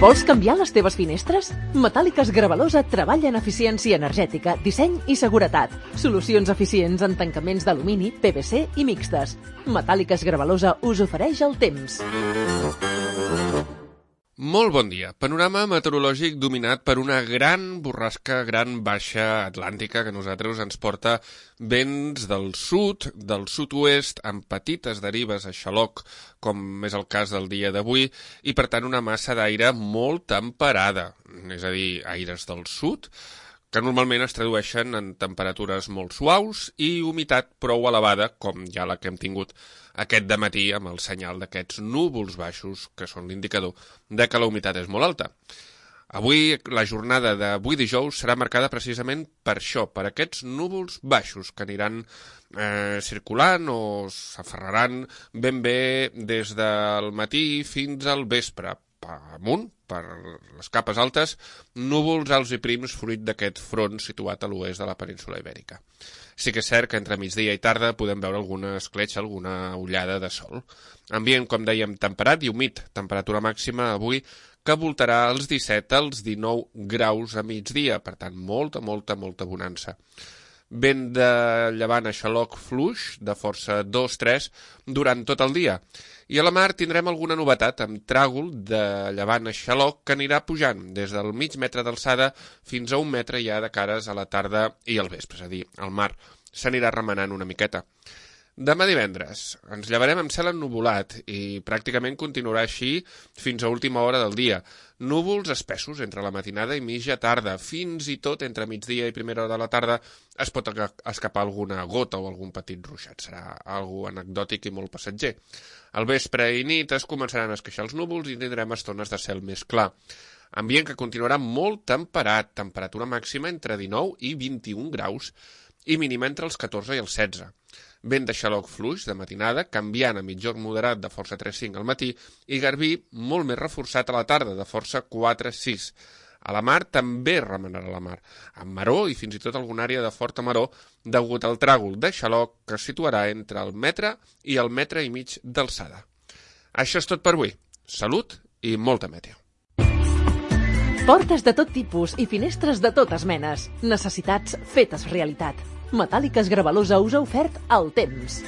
Vols canviar les teves finestres? Metàl·liques Gravalosa treballa en eficiència energètica, disseny i seguretat. Solucions eficients en tancaments d'alumini, PVC i mixtes. Metàl·liques Gravalosa us ofereix el temps. Molt bon dia. Panorama meteorològic dominat per una gran borrasca, gran baixa atlàntica que a nosaltres ens porta vents del sud, del sud-oest, amb petites derives a xaloc, com és el cas del dia d'avui, i per tant una massa d'aire molt temperada, és a dir, aires del sud, que normalment es tradueixen en temperatures molt suaus i humitat prou elevada, com ja la que hem tingut aquest dematí amb el senyal d'aquests núvols baixos, que són l'indicador de que la humitat és molt alta. Avui, la jornada d'avui dijous serà marcada precisament per això, per aquests núvols baixos que aniran circulant o s'aferraran ben bé des del matí fins al vespre, amunt, per les capes altes, núvols alts i prims fruit d'aquest front situat a l'oest de la península Ibèrica. Sí que és cert que entre migdia i tarda podem veure alguna escletxa, alguna ullada de sol. Ambient, com dèiem, temperat i humit, temperatura màxima avui que voltarà als 17 als 19 graus a migdia, per tant, molta bonança. Vent de llevant a xaloc fluix, de força 2-3, durant tot el dia. I a la mar tindrem alguna novetat amb tràgol de llevant a xaloc que anirà pujant des del mig metre d'alçada fins a 1 metre ja de cares a la tarda i al vespre, és a dir, el mar s'anirà remenant una miqueta. Demà divendres ens llevarem amb cel ennuvolat i pràcticament continuarà així fins a última hora del dia. Núvols espessos entre la matinada i mitja tarda, fins i tot entre migdia i primera hora de la tarda es pot escapar alguna gota o algun petit ruixat. Serà algo anecdòtic i molt passatger. Al vespre i nit es començaran a esqueixar els núvols i tindrem estones de cel més clar. Ambient que continuarà molt temperat, temperatura màxima entre 19 i 21 graus i mínima entre els 14 i els 16. Vent de xaloc fluix de matinada, canviant a mitjor moderat de força 3-5 al matí i garbí molt més reforçat a la tarda, de força 4-6. A la mar també remenarà la mar, amb maró i fins i tot alguna àrea de forta maró degut al tràgol de xaloc que es situarà entre el metre i el metre i mig d'alçada. Això és tot per avui. Salut i molta meteo. Portes de tot tipus i finestres de totes menes. Necessitats fetes realitat. Metàl·liques Gravalosa us ha ofert el temps.